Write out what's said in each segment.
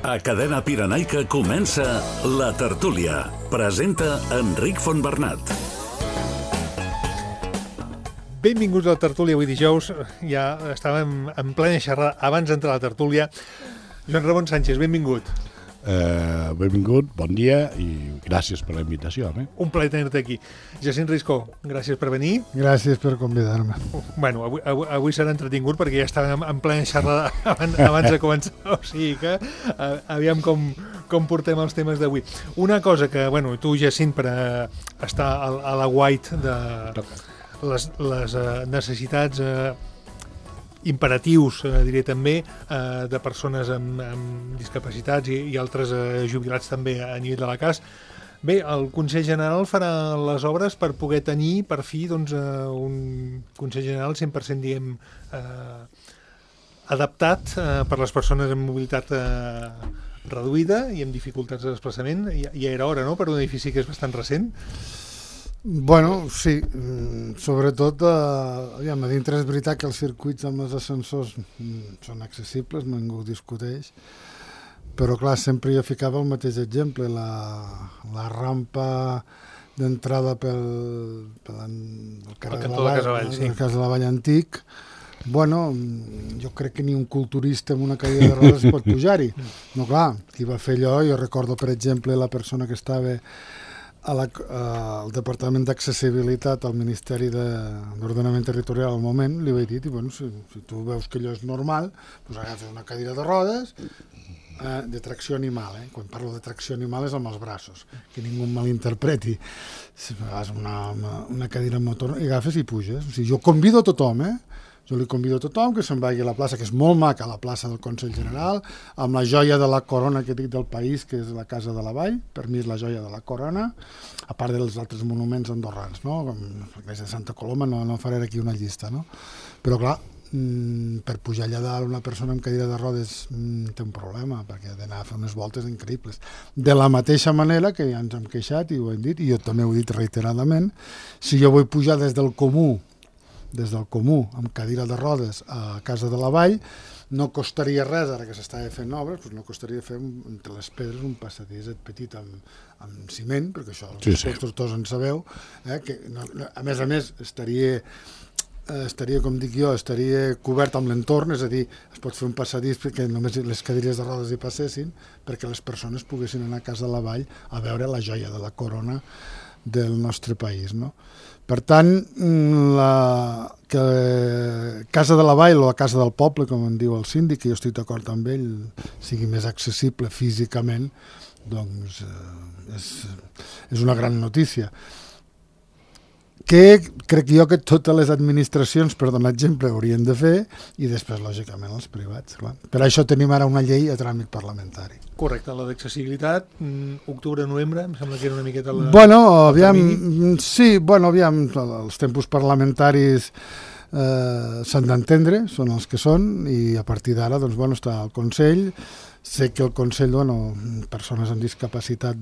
A Cadena Pirenaica comença La Tertúlia. Presenta Enric Fontbernat. Benvinguts a La Tertúlia. Avui dijous ja estàvem en plena xerrada abans d'entrar a La Tertúlia. Joan Ramon Sánchez, benvingut. Benvingut, bon dia i gràcies per la invitació. Un plaer tenir-te aquí. Jacint Riscó, gràcies per venir. Gràcies per convidar-me. Bueno, avui serà entretingut perquè ja estàvem en plena xerrada abans de començar. O sigui que aviam com portem els temes d'avui. Una cosa que, bueno, tu, Jacint, per estar a la guait de les necessitats imperatius, diré també, de persones amb discapacitats i altres jubilats també a nivell de la CAS. Bé, el Consell General farà les obres per poder tenir, per fi, doncs, un Consell General 100%, diguem, adaptat per les persones amb mobilitat reduïda i amb dificultats de desplaçament. Ja era hora, no?, per un edifici que és bastant recent. Bueno, sí, sobretot, aviam, a dintre és veritat que els circuits amb els ascensors són accessibles, ningú ho discuteix, però clar, sempre jo ficava el mateix exemple, la rampa d'entrada pel carrer de la Vall Antic. Bueno, jo crec que ni un culturista amb una cadira de rodes pot pujar-hi. No, clar, qui va fer allò, jo recordo, per exemple, la persona que estava al Departament d'Accessibilitat al Ministeri d'Ordenament Territorial al moment, li vaig dir, bueno, si tu veus que allò és normal, doncs agafes una cadira de rodes de tracció animal. Quan parlo de tracció animal és amb els braços, que ningú em malinterpreti. Si agafes una cadira motor i agafes i puges. O sigui, jo convido a tothom, Jo li convido a tothom que se'n vagi a la plaça, que és molt maca, la plaça del Consell General, amb la joia de la corona que dic del país, que és la Casa de la Vall. Per mi és la joia de la corona, a part dels altres monuments andorrans, no? Com l'església de Santa Coloma, no faré aquí una llista, no? Però clar, per pujar allà dalt una persona amb cadira de rodes té un problema, perquè ha d'anar a fer unes voltes increïbles. De la mateixa manera que ja ens hem queixat i ho hem dit, i jo també ho he dit reiteradament, si jo vull pujar des del comú amb cadira de rodes a Casa de la Vall, no costaria res, ara que s'estava fent obres, doncs no costaria fer entre les pedres un passadís petit amb ciment, perquè això els constructors en sabeu, que a més estaria, com dic jo, estaria cobert amb l'entorn, és a dir, es pot fer un passadís perquè només les cadires de rodes hi passessin, perquè les persones poguessin anar a Casa de la Vall a veure la joia de la corona del nostre país, no? Per tant, que Casa de la Vall o la Casa del Poble, com en diu el síndic, que jo estic d'acord amb ell, sigui més accessible físicament, doncs és una gran notícia. Que crec jo que totes les administracions, per donar exemple, haurien de fer, i després, lògicament, els privats. Clar. Per això tenim ara una llei a tràmit parlamentari. Correcte, la d'accessibilitat, octubre-novembre, em sembla que era una miqueta la... Bueno, aviam, els tempos parlamentaris s'han d'entendre, són els que són, i a partir d'ara, doncs, està el Consell. Sé que el Consell, persones amb discapacitat,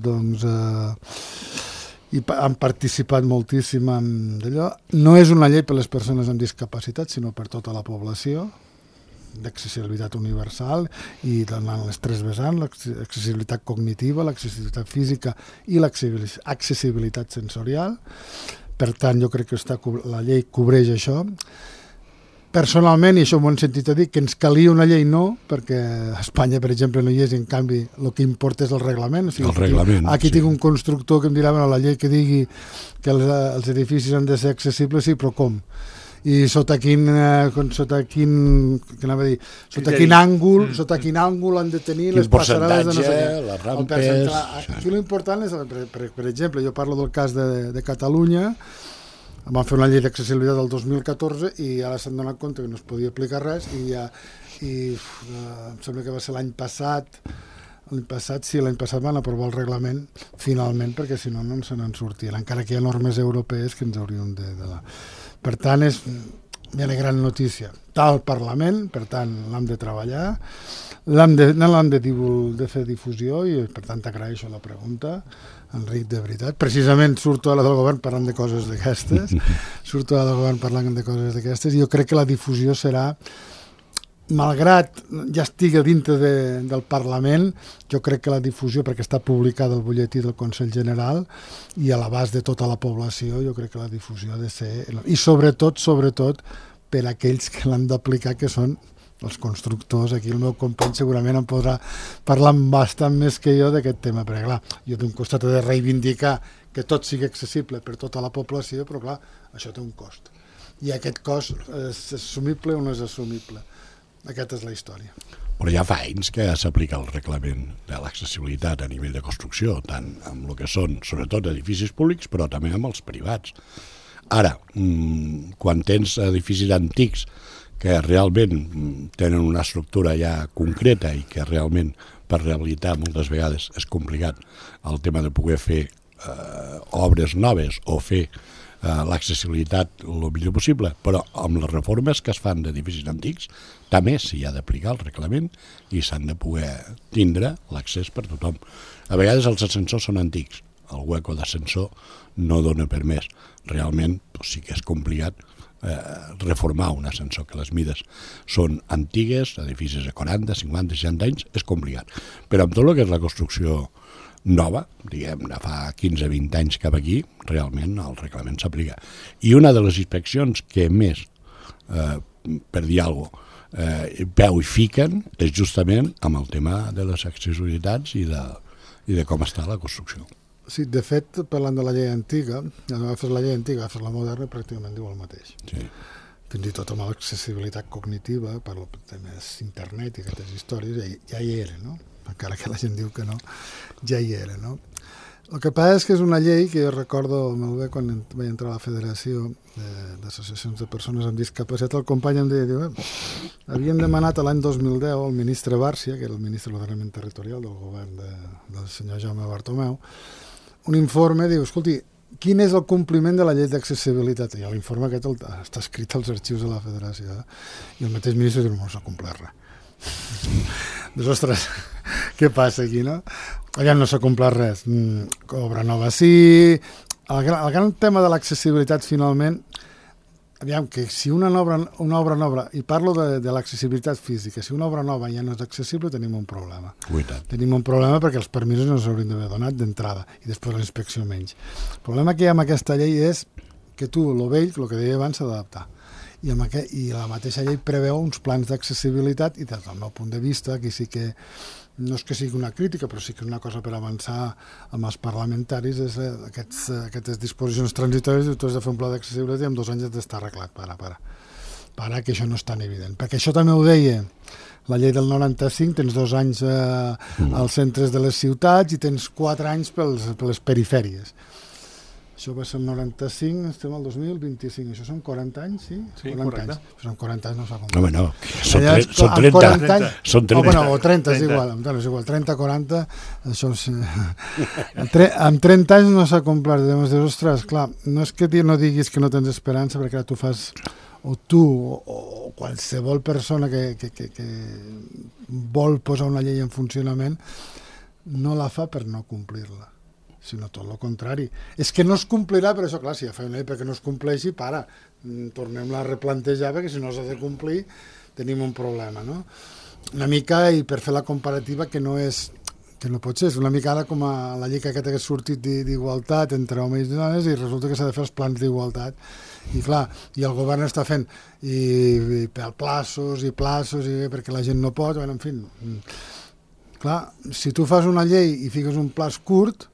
i han participat moltíssim en d'allò. No és una llei per a les persones amb discapacitat, sinó per tota la població, d'accessibilitat universal, i donant les tres vessants, l'accessibilitat cognitiva, l'accessibilitat física i l'accessibilitat sensorial. Per tant, jo crec que la llei cobreix això. Personalment, i això m'ho han sentit a dir, que ens calia una llei perquè a Espanya, per exemple, no hi és, i en canvi el que importa és el reglament. O sigui, el reglament, aquí tinc un constructor que em dirà, la llei que digui que els edificis han de ser accessibles, sí, però com? I sota quin àngul han de tenir les passarel·les de no sé què. Les rampes... Aquí l'important és, per exemple, jo parlo del cas de Catalunya. Vam fer una llei d'accessibilitat del 2014 i ara s'han donat compte que no es podia aplicar res i em sembla que va ser l'any passat van aprovar el reglament finalment, perquè si no se n'en sortien, encara que hi ha normes europees que ens haurien de donar. Per tant, és una gran notícia. Està al Parlament, per tant, l'hem de treballar, l'hem de fer difusió i, per tant, t'agraeixo la pregunta, Enric, de veritat. Precisament surto a la del govern parlant de coses d'aquestes, i jo crec que la difusió serà malgrat ja estigui dintre del Parlament, jo crec que la difusió, perquè està publicada al butlletí del Consell General i a l'abast de tota la població, jo crec que la difusió ha de ser... I sobretot, per aquells que l'han d'aplicar, que són els constructors. Aquí el meu company segurament em podrà parlar bastant més que jo d'aquest tema, perquè clar, jo d'un costat he de reivindicar que tot sigui accessible per tota la població, però clar, això té un cost. I aquest cost és assumible o no és assumible? Aquesta és la història. Però ja fa anys que s'aplica el reglament de l'accessibilitat a nivell de construcció, tant amb el que són, sobretot, edificis públics, però també amb els privats. Ara, quan tens edificis antics que realment tenen una estructura ja concreta i que realment per rehabilitar moltes vegades és complicat el tema de poder fer obres noves o fer l'accessibilitat el millor possible, però amb les reformes que es fan d'edificis antics també s'hi ha d'aplicar el reglament i s'han de poder tindre l'accés per tothom. A vegades els ascensors són antics, el hueco d'ascensor no dona per més. Realment sí que és complicat reformar un ascensor, que les mides són antigues, edificis de 40, 50, 60 anys, és complicat. Però amb tot el que és la construcció nova, diguem, de fa 15-20 anys cap aquí, realment el reglament s'aplica. I una de les inspeccions que més, per dir alguna cosa, peu i fiquen és justament amb el tema de les accessibilitats i de com està la construcció. Sí, de fet, parlant de la llei antiga, ja no agafes la llei antiga, agafes la moderna, pràcticament diu el mateix. Sí. Fins i tot amb l'accessibilitat cognitiva, per temes internet i aquestes històries, ja hi era, no? Encara que la gent diu que no, ja hi era, no? El que passa és que és una llei que jo recordo molt bé quan vaig entrar a la Federació d'Associacions de Persones amb Discapacitat, el company em deia, havien demanat l'any 2010 al ministre Bárcia, que era el ministre de l'Ordenament Territorial del govern del senyor Jaume Bartomeu, un informe, diu, escolti, quin és el compliment de la llei d'accessibilitat? I l'informe aquest està escrit als arxius de la Federació, i el mateix ministre diu, no s'ha complert res. Doncs, ostres, què passa aquí, no? Allà no s'ha complert res. Obra nova sí. El gran tema de l'accessibilitat, finalment, aviam, que si una obra nova, i parlo de l'accessibilitat física, si una obra nova ja no és accessible, tenim un problema. Tenim un problema perquè els permisos no s'haurien d'haver donat d'entrada i després la inspecció menys. El problema que hi ha amb aquesta llei és que tu, el vell, el que deia abans, s'ha d'adaptar. I la mateixa llei preveu uns plans d'accessibilitat i des del meu punt de vista, aquí sí que no és que sigui una crítica, però sí que és una cosa per avançar amb els parlamentaris, és aquestes disposicions transitòries, tu has de fer un pla d'accessibilitat i en 2 anys has d'estar arreglat. Para, que això no és tan evident. Perquè això també ho deia la llei del 95, tens 2 anys als centres de les ciutats i tens 4 anys per les perifèries. Això va ser el 95, estem al 2025, això són 40 anys, sí? Sí, 40 correcte. anys. Són 40 anys, no s'ha comprat. No, són 30. Són 30. O 30, és igual, 30, 40, això és... Amb 30 anys no s'ha comprat, llavors dius, ostres, clar, no és que no diguis que no tens esperança, perquè tu fas, o tu, o qualsevol persona que vol posar una llei en funcionament, no la fa per no complir-la, sinó tot el contrari. És que no es complirà, però això, clar, si ja fa una llei perquè no es compleixi, tornem-la a replantejar, perquè si no s'ha de complir tenim un problema, no? Una mica, i per fer la comparativa, que no pot ser, és una mica ara com a la llei aquesta que ha sortit d'igualtat entre homes i dones, i resulta que s'ha de fer els plans d'igualtat. I clar, i el govern està fent i per plaços, perquè la gent no pot, en fi. Clar, si tu fas una llei i fiques un plaç curt,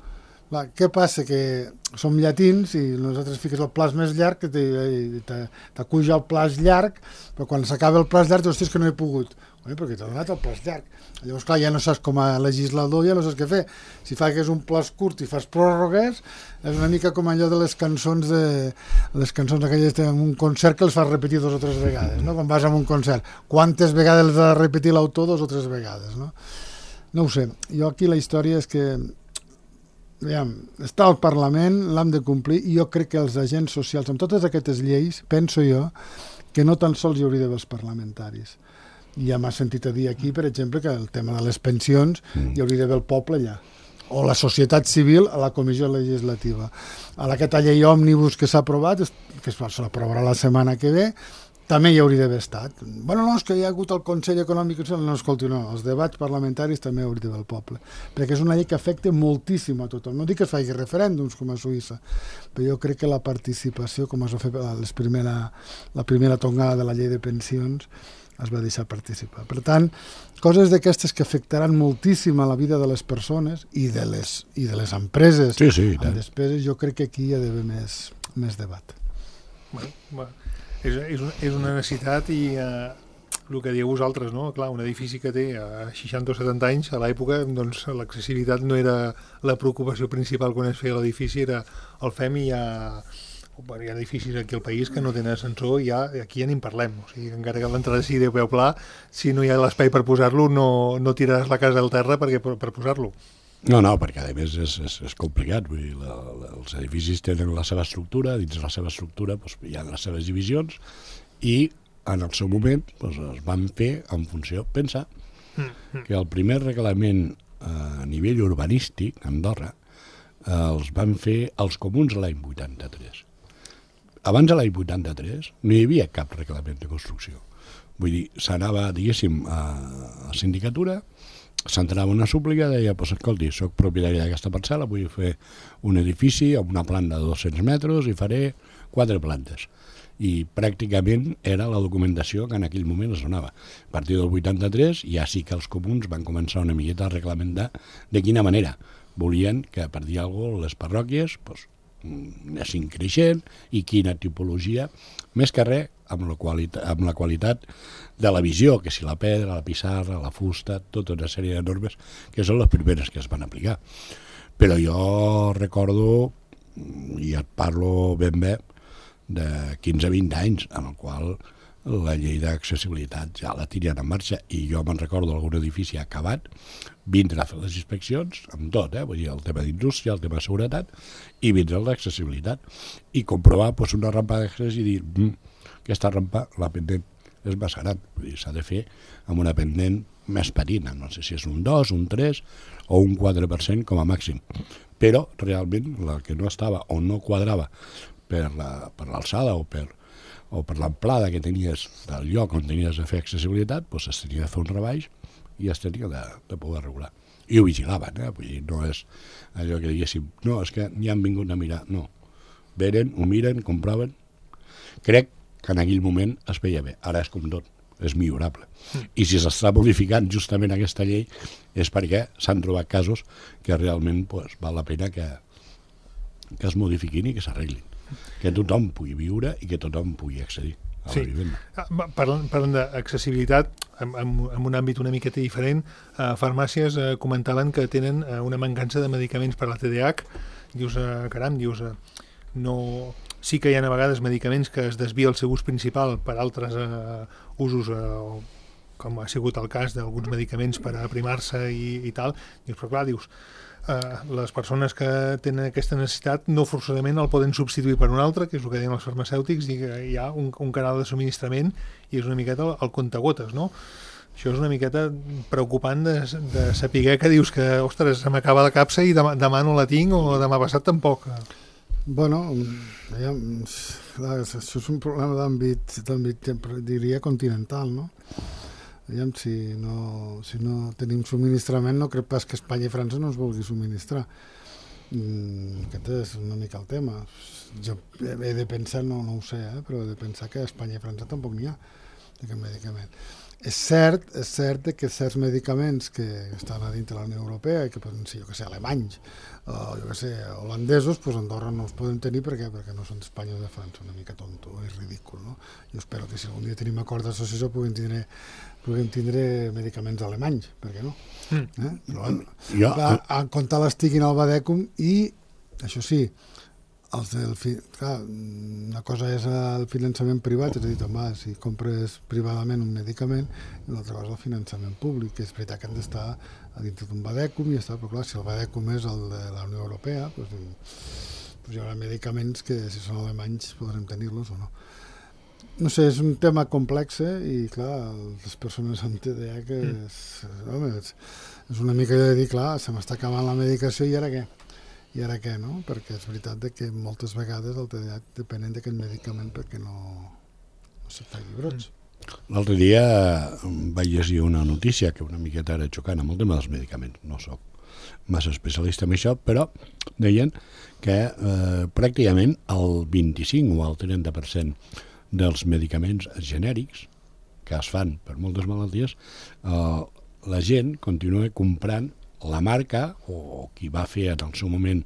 què passa? Que som llatins i nosaltres fiques el plaç més llarg, que t'acuja el plaç llarg, però quan s'acaba el plaç llarg, hòstia, és que no he pogut. Perquè t'ha donat el plaç llarg. Llavors, clar, ja no saps com a legislador, ja no saps què fer. Si fas un plaç curt i fas pròrrogues, és una mica com allò de les cançons aquelles en un concert que les fas repetir 2 o 3 vegades, no? Quan vas a un concert, quantes vegades les ha de repetir l'autor? 2 o 3 vegades, no? No ho sé. Jo aquí la història és que està al Parlament, l'hem de complir, i jo crec que els agents socials, amb totes aquestes lleis, penso jo, que no tan sols hi hauria d'haver els parlamentaris. Ja m'ha sentit a dir aquí, per exemple, que el tema de les pensions hi hauria d'haver el poble allà, o la societat civil a la comissió legislativa. A aquesta llei òmnibus que s'ha aprovat, que s'aprovarà la setmana que ve, també hi hauria d'haver estat. Bueno, no, és que hi ha hagut el Consell Econòmic i Social, no, escolti, no, els debats parlamentaris també hauria d'haver el poble, perquè és una llei que afecta moltíssim a tothom. No dic que es faci referèndums com a Suïssa, però jo crec que la participació, com es va fer la primera tongada de la llei de pensions, es va deixar participar. Per tant, coses d'aquestes que afectaran moltíssim a la vida de les persones i de les empreses amb despeses, jo crec que aquí hi ha d'haver més debat. Bueno, és una necessitat i el que dieu vosaltres, no? Clar, un edifici que té 60 o 70 anys, a l'època, doncs l'accessibilitat no era la preocupació principal quan es feia l'edifici, era el fem i hi ha edificis aquí al país que no tenen ascensor i aquí ja ni en parlem. O sigui, encara que l'entrada sigui de peu pla, si no hi ha l'espai per posar-lo, no tiraràs la casa al terra per posar-lo. No, perquè a més és complicat. Vull dir, els edificis tenen la seva estructura, dins la seva estructura hi ha les seves divisions i en el seu moment es van fer en funció. Pensa que el primer reglament a nivell urbanístic a Andorra els van fer els comuns l'any 83. Abans de l'any 83 no hi havia cap reglament de construcció. Vull dir, s'anava, diguéssim, a la sindicatura, s'entrava una súplica, deia, escolti, soc propietari d'aquesta parcel·la, vull fer un edifici amb una planta de 200 metres i faré 4 plantes. I pràcticament era la documentació que en aquell moment es donava. A partir del 83 ja sí que els comuns van començar una miqueta a reglamentar de quina manera volien que, per dir alguna cosa, les parròquies anessin creixent i quina tipologia, més que res amb la qualitat de la visió, que si la pedra, la pissarra, la fusta, tota una sèrie de normes que són les primeres que es van aplicar. Però jo recordo, i et parlo ben bé, de 15-20 anys, en el qual la llei d'accessibilitat ja la tenien en marxa, i jo me'n recordo algun edifici acabat, vindre a fer les inspeccions, amb tot, vull dir, el tema d'indústria, el tema de seguretat, i vindre a l'accessibilitat, i comprovar una rampa d'accés i dir, aquesta rampa, la pendent, és massa gran, vull dir, s'ha de fer amb una pendent més petita, no sé si és un 2, un 3 o un 4% com a màxim, però realment la que no estava o no quadrava per l'alçada o per l'amplada que tenies del lloc on tenies de fer accessibilitat, doncs es tenia de fer un rebaix i es tenia de poder regular. I ho vigilaven, vull dir, no és allò que diguéssim, no, és que ni han vingut a mirar, no. Venen, ho miren, comproven. Crec que en aquell moment es veia bé, ara és com tot, és millorable. I si s'està modificant justament aquesta llei és perquè s'han trobat casos que realment val la pena que es modifiquin i que s'arreglin. Que tothom pugui viure i que tothom pugui accedir a la vivenda. Parlant d'accessibilitat, en un àmbit una miqueta diferent, farmàcies comentaven que tenen una mancança de medicaments per a la TDAH. Dius, caram, no... Sí que hi ha a vegades medicaments que es desvia el seu ús principal per altres usos, com ha sigut el cas d'alguns medicaments per a aprimar-se i tal. Dius, però clar, les persones que tenen aquesta necessitat no forçosament el poden substituir per un altre, que és el que deien els farmacèutics, i que hi ha un canal de subministrament i és una miqueta el comptagotes, no? Això és una miqueta preocupant de saber que dius que, ostres, se m'acaba la capsa i demà no la tinc o demà passat tampoc. Bueno, clar, això és un problema d'àmbit, diria, continental, no? Si no tenim subministrament, no crec pas que Espanya i França no es vulgui subministrar. Aquest és una mica el tema. Jo he de pensar, no ho sé, però he de pensar que a Espanya i França tampoc n'hi ha aquest medicament. És cert que certs medicaments que estan a dintre de la Unió Europea i que poden ser, alemanys o holandesos, doncs a Andorra no els podem tenir perquè no són d'Espanya o de França, una mica tonto i ridícul, no? Jo espero que si algun dia tenim acord d'associació puguem tindre medicaments alemanys, per què no? Però en compte estiguin al Badècum i, això sí, una cosa és el finançament privat, és a dir, si compres privadament un medicament, i l'altra cosa és el finançament públic, que és veritat que han d'estar a dintre d'un Badècum i ja està, però clar, si el Badècum és el de la Unió Europea, doncs hi haurà medicaments que si són alemanys podrem tenir-los o no. No sé, és un tema complex i clar, les persones amb TDAH és una mica de dir, clar, se m'està acabant la medicació i ara què? I ara què, no? Perquè és veritat que moltes vegades el TDAH depenen d'aquest medicament perquè no se't faci brots. L'altre dia vaig llegir una notícia que una miqueta era xocant amb el tema dels medicaments. No soc massa especialista en això, però deien que pràcticament el 25 o el 30% dels medicaments genèrics que es fan per moltes malalties, la gent continua comprant la marca o qui va fer en el seu moment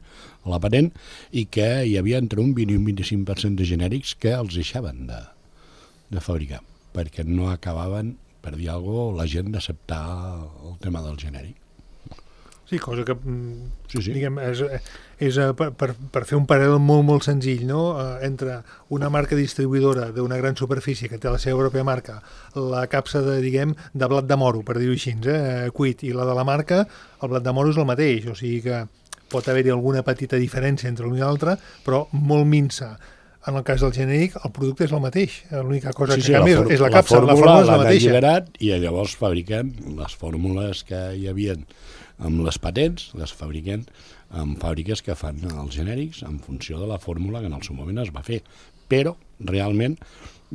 la patent, i que hi havia entre un 20 i un 25% de genèrics que els deixaven de fabricar, perquè no acabaven, per dir alguna cosa, la gent d'acceptar el tema del genèric. Sí, cosa que Sí. diguem, és per fer un paral·lel molt senzill, no? Entre una marca distribuïdora d'una gran superfície que té la seva pròpia marca, la capsa de blat de moro, per dir-ho així, cuit, i la de la marca, el blat de moro és el mateix, o sigui que pot haver-hi alguna petita diferència entre l'un i l'altre, però molt minsa. En el cas del genèric, el producte és el mateix. L'única cosa que canvia és la capsa, la fórmula és la mateixa. Alliberat, i llavors fabriquen les fórmules que hi havia amb les patents, les fabriquen en fàbriques que fan els genèrics en funció de la fórmula que en el seu moment es va fer. Però, realment,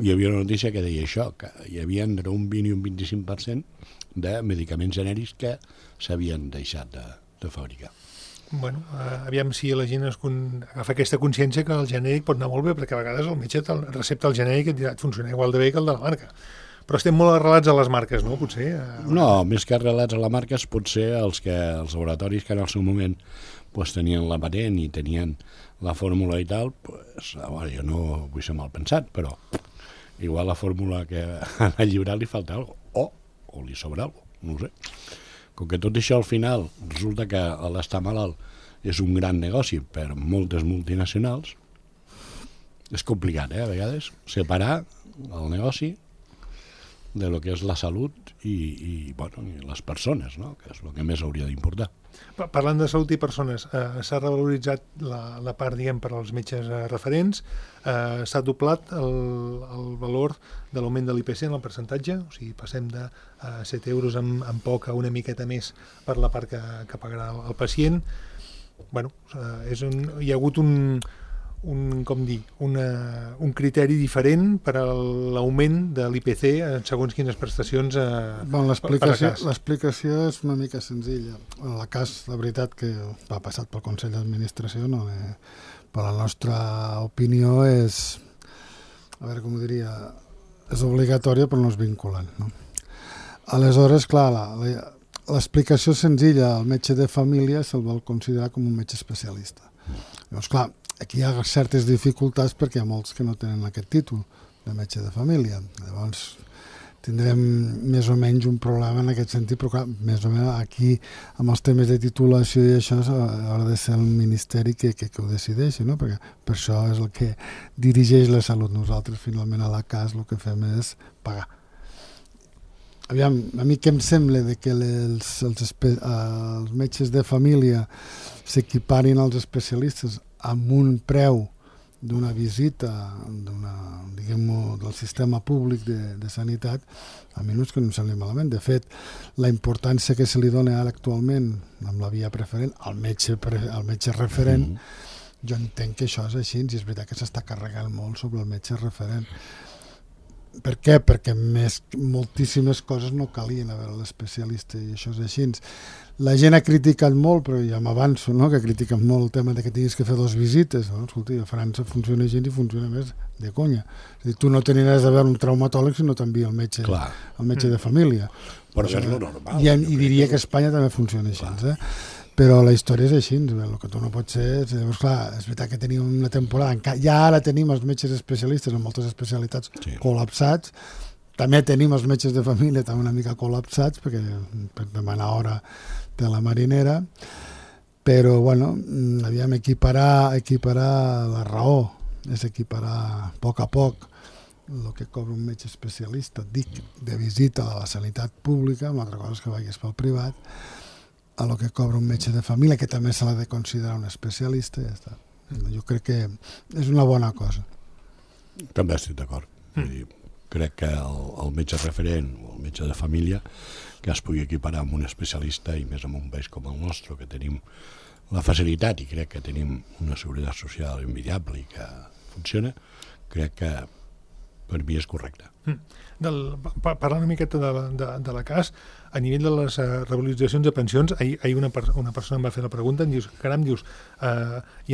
hi havia una notícia que deia això, que hi havia entre un 20 i un 25% de medicaments genèrics que s'havien deixat de fabricar. Bueno, aviam si la gent agafa aquesta consciència que el genèric pot anar molt bé, perquè a vegades el metge recepta el genèric i et dirà, funciona igual de bé que el de la marca. Però estem molt arrelats a les marques, no? Potser. No, més que arrelats a les marques, potser els laboratoris que en el seu moment tenien la patent i tenien la fórmula i tal, jo no vull ser mal pensat, però igual la fórmula que al llibrat li falta alguna cosa, o li sobra alguna cosa, no ho sé. Com que tot això al final resulta que l'estar malalt és un gran negoci per moltes multinacionals, és complicat, a vegades, separar el negoci de lo que és la salut i les persones, no? Que és el que més hauria d'importar. Parlant de salut i persones, s'ha revaloritzat la part, per als metges referents, s'ha doblat el valor de l'augment de l'IPC en el percentatge, o sigui, passem de 7 euros en poc a una miqueta més per la part que pagarà el pacient. Bueno, hi ha hagut un criteri diferent per a l'augment de l'IPC en segons quines prestacions l'explicació és una mica senzilla. En el cas, la veritat, que va passat pel Consell d'Administració, per la nostra opinió és, a veure com ho diria, és obligatòria però no és vinculant, no? Aleshores, clar, l'explicació senzilla, el metge de família se'l vol considerar com un metge especialista. Llavors, clar, aquí hi ha certes dificultats perquè hi ha molts que no tenen aquest títol de metge de família. Llavors tindrem més o menys un problema en aquest sentit, però clar, més o menys aquí amb els temes de titulació i això haurà de ser el Ministeri que ho decideixi, no? Perquè per això és el que dirigeix la salut. Nosaltres finalment a la CAS el que fem és pagar. Aviam, a mi què em sembla de que els metges de família s'equiparin als especialistes amb un preu d'una visita del sistema públic de sanitat, a mi no és que no em sembli malament. De fet, la importància que se li dona ara actualment amb la via preferent al metge referent, jo entenc que això és així, i és veritat que s'està carregant molt sobre el metge referent. Per què? Perquè moltíssimes coses no calien a veure l'especialista, i això és així. La gent ha criticat molt, però ja m'avanço, no? Que critiquen molt el tema de que tinguis que fer 2 visites. No? Escolta, a França funciona gent i funciona més de conya. És a dir, tu no tenies res a veure un traumatòleg si no t'envia el metge de família. Però això és el normal. I diria que a Espanya també funciona així. Però la història és així, el que tu no pots ser... Llavors, clar, és veritat que tenim una temporada... Ja ara tenim els metges especialistes en moltes especialitats col·lapsats. També tenim els metges de família també una mica col·lapsats, perquè per demanar hora de la marinera. Però, bueno, aviam, equiparar la raó és equiparar a poc el que cobra un metge especialista, dic, de visita a la sanitat pública, una altra cosa és que vagis pel privat, a lo que cobra un metge de família, que també se l'ha de considerar un especialista, ja està. Jo crec que és una bona cosa. També estic d'acord. Crec que el metge referent o el metge de família que es pugui equiparar amb un especialista, i més en un país com el nostre, que tenim la facilitat i crec que tenim una seguretat social envidiable i que funciona, crec que per mi és correcte. Parlant una miqueta de la CAS, a nivell de les revaloritzacions de pensions, ahir una persona em va fer la pregunta, em dius, caram, hi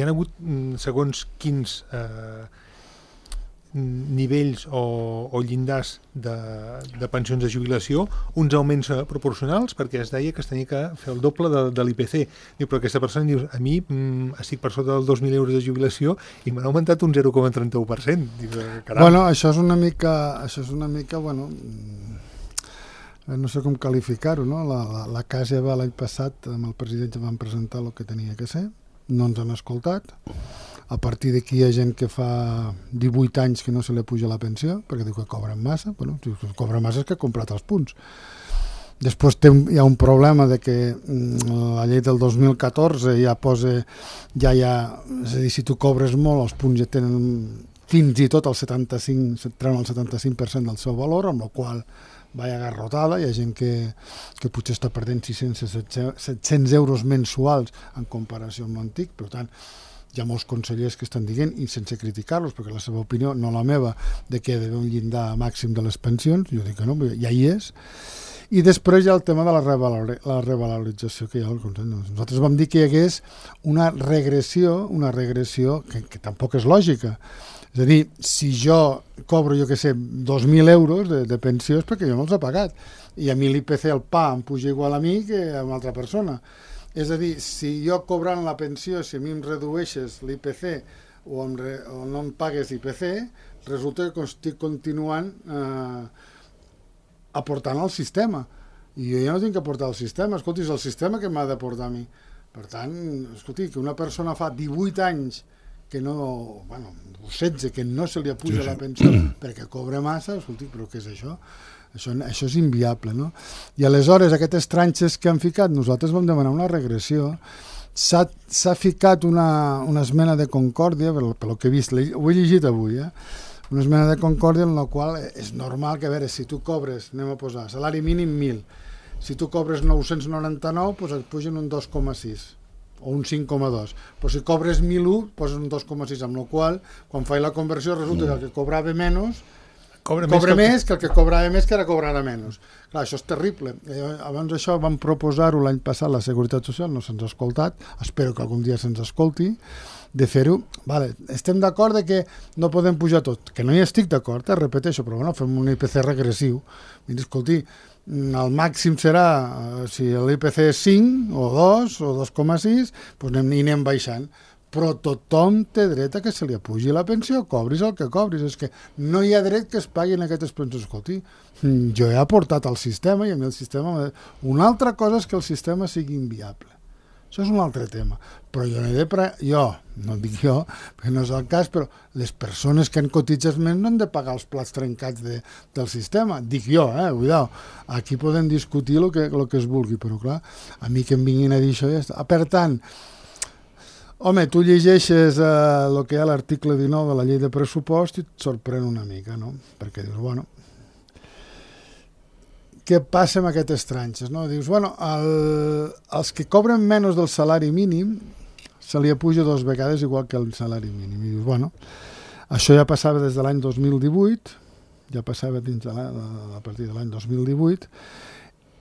ha hagut segons quins nivells o llindars de pensions de jubilació, uns augments proporcionals, perquè es deia que es tenia que fer el doble de l'IPC. Diu, però aquesta persona diu, a mi estic per sota dels 2.000 euros de jubilació i m'han augmentat un 0,31%. Diu, caram. Bueno, això és una mica, bueno, no sé com qualificar-ho, no? La CAS ja va l'any passat, amb el president ja van presentar el que tenia que ser, no ens han escoltat. A partir d'aquí hi ha gent que fa 18 anys que no se li puja la pensió, perquè diu que cobren massa. Bueno, si cobra massa és que ha comprat els punts. Després hi ha un problema de que la llei del 2014 ja posa, és a dir, si tu cobres molt, els punts ja tenen fins i tot el 75%, treuen el 75% del seu valor, amb la qual vaya garrotada, hi ha gent que potser està perdent 600-700 euros mensuals en comparació amb l'antic, per tant, hi ha molts consellers que estan dient, i sense criticar-los, perquè la seva opinió, no la meva, de que hi ha d'haver un llindar màxim de les pensions, jo dic que no, ja hi és. I després hi ha el tema de la revalorització que hi ha al Consell. Nosaltres vam dir que hi hagués una regressió que tampoc és lògica. És a dir, si jo cobro, jo què sé, 2.000 euros de pensió és perquè jo me'ls he pagat, i a mi l'IPC, el pa, em puja igual a mi que a una altra persona. És a dir, si jo cobrant la pensió, si a mi em redueixes l'IPC o no em pagues l'IPC, resulta que estic continuant aportant al sistema. I jo ja no tinc que aportar al sistema. Escolti, és el sistema que m'ha d'aportar a mi. Per tant, escolti, que una persona fa 18 anys que no, bueno, 16, que no se li apuja la pensió perquè cobra massa, escolti, però què és això? Això és inviable, no? I aleshores, aquestes tranxes que han ficat, nosaltres vam demanar una regressió. S'ha ficat una esmena de concòrdia, pel que he vist, ho he llegit avui, una esmena de concòrdia en la qual és normal que, a veure, si tu cobres, anem a posar, salari mínim 1.000, si tu cobres 999, doncs et pugen un 2,6 o un 5,2, però si cobres 1.001, poses un 2,6, amb la qual, quan faig la conversió, resulta que el que cobrava menys cobra més que el que cobrava més, que ara cobrarà menys. Clar, això és terrible. Abans això vam proposar-ho l'any passat, la Seguretat Social no se'ns ha escoltat, espero que algun dia se'ns escolti, de fer-ho. Vale, estem d'acord que no podem pujar tot, que no hi estic d'acord, repeteixo, però bueno, fem un IPC regressiu. Mira, escolti, el màxim serà, si l'IPC és 5 o 2 o 2,6, doncs anem baixant. Però tothom té dret a que se li apugi la pensió, cobris el que cobris. És que no hi ha dret que es paguin aquestes pensions. Escolti, jo he aportat al sistema i a mi el sistema... Una altra cosa és que el sistema sigui inviable. Això és un altre tema. Però jo no dic jo, perquè no és el cas, però les persones que han cotitzat més no han de pagar els plats trencats del sistema. Dic jo, cuidao. Aquí podem discutir el que es vulgui, però clar, a mi que em vinguin a dir això ja està. Per tant, home, tu llegeixes el que hi ha a l'article 19 de la llei de pressupost i et sorprèn una mica, no? Perquè dius, bueno, què passa amb aquestes tranxes, no? Dius, bueno, els que cobren menys del salari mínim se li apuja 2 vegades igual que el salari mínim. I dius, bueno, això ja passava des de l'any 2018, ja passava a partir de l'any 2018,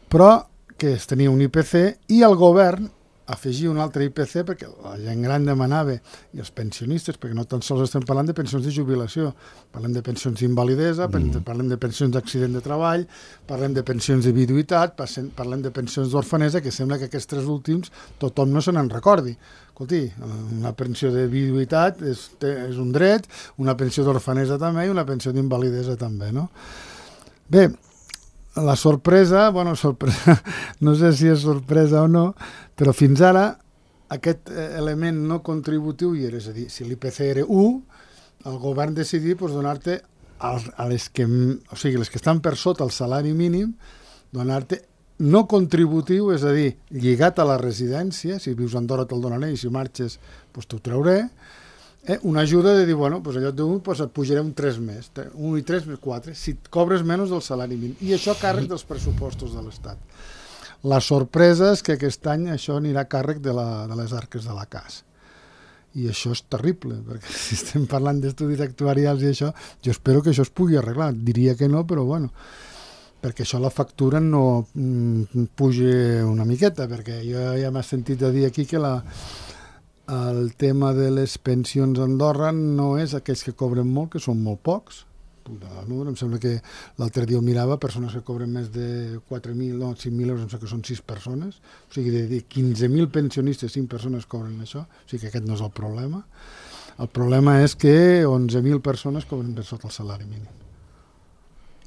però que es tenia un IPC i el govern afegir un altre IPC perquè la gent gran demanava, i els pensionistes, perquè no tan sols estem parlant de pensions de jubilació, parlem de pensions d'invalidesa, parlem de pensions d'accident de treball, parlem de pensions de viduïtat, parlem de pensions d'orfanesa, que sembla que aquests 3 últims tothom no se n'en recordi. Escolti, una pensió de viduïtat és un dret, una pensió d'orfanesa també i una pensió d'invalidesa també, no? Bé, la sorpresa, no sé si és sorpresa o no, però fins ara aquest element no contributiu hi era, és a dir, si l'IPC era 1, el govern decidir donar-te a les que estan per sota el salari mínim, donar-te no contributiu, és a dir, lligat a la residència, si vius a Andorra te'l donaré i si marxes t'ho trauré, una ajuda de dir, bueno, allò d'1 et pujaré un 3 més, 1 i 3 més 4, si cobres menys del salari mínim. I això a càrrec dels pressupostos de l'Estat. La sorpresa és que aquest any això anirà a càrrec de les arques de la CAS. I això és terrible, perquè si estem parlant d'estudis actuarials i això, jo espero que això es pugui arreglar. Diria que no, però bueno, perquè això la factura no pugi una miqueta, perquè jo ja m'he sentit a dir aquí que el tema de les pensions a Andorra no és aquells que cobren molt, que són molt pocs. Em sembla que l'altre dia ho mirava, persones que cobren més de 4.000 o 5.000 euros, em sembla que són 6 persones, o sigui, de 15.000 pensionistes, 5 persones cobren això, o sigui que aquest no és el problema. El problema és que 11.000 persones cobren per sota el salari mínim.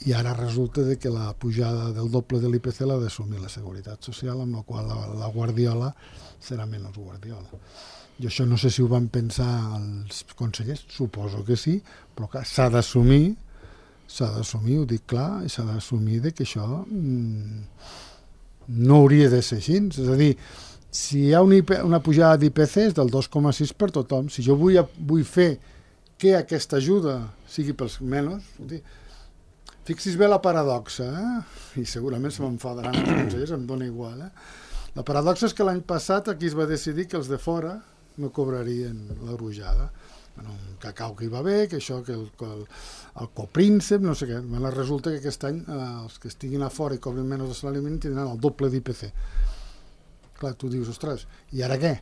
I ara resulta que la pujada del doble de l'IPC l'ha d'assumir la Seguretat Social, amb la qual la Guardiola serà menys Guardiola. Jo això no sé si ho van pensar els consellers, suposo que sí, però clar, s'ha d'assumir, ho dic clar, i s'ha d'assumir que això no hauria de ser així. És a dir, si hi ha una pujada d'IPC és del 2,6 per tothom. Si jo vull fer que aquesta ajuda sigui pels menys, fixis bé la paradoxa, i segurament se m'enfadaran els consellers, em dona igual. La paradoxa és que l'any passat aquí es va decidir que els de fora no cobrarien la pujada. Un cacau que hi va bé, que això, que el copríncep, no sé què. Resulta que aquest any els que estiguin a fora i cobrin menys de salari mínim tindran el doble d'IPC. Clar, tu dius, ostres, i ara què?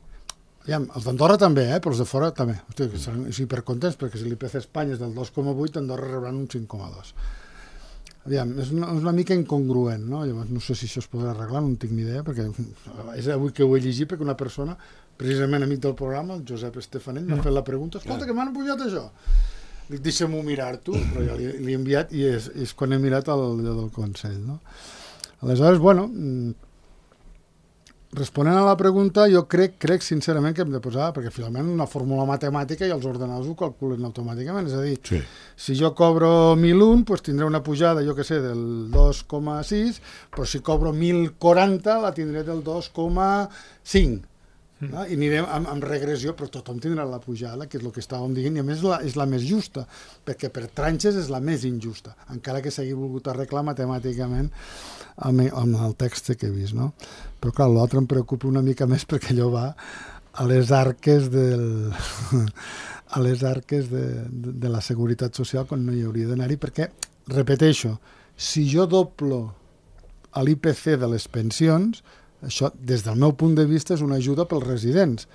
Aviam, els d'Andorra també, però els de fora també. Hosti, seran hipercontents, perquè si l'IPC a Espanya és del 2,8, Andorra rebran un 5,2. Aviam, és una mica incongruent, no? Llavors, no sé si això es podrà arreglar, no en tinc ni idea, perquè és avui que ho he llegit, perquè una persona, precisament amic del programa, el Josep Estefanell, m'ha fet la pregunta, escolta, que m'han pujat això. Dic, deixa'm-ho mirar-t'ho, però ja l'he enviat i és quan he mirat el del Consell, no? Aleshores, bueno, responent a la pregunta, jo crec sincerament que hem de posar, perquè finalment una fórmula matemàtica i els ordenadors ho calculen automàticament, és a dir, sí. Si jo cobro 1.001, doncs tindré una pujada, jo que sé, del 2,6, però si cobro 1.040 la tindré del 2,5. No? I anirem amb regressió, però tothom tindrà la pujada, que és el que estàvem dient, i a més és la més justa, perquè per tranxes és la més injusta, encara que s'hagi volgut arreglar matemàticament amb el text que he vist, no? Però clar, l'altre em preocupa una mica més perquè allò va a les arques de la Seguretat Social quan no hi hauria d'anar-hi, perquè, repeteixo, si jo doblo l'IPC de les pensions, això, des del meu punt de vista, és una ajuda pels residents.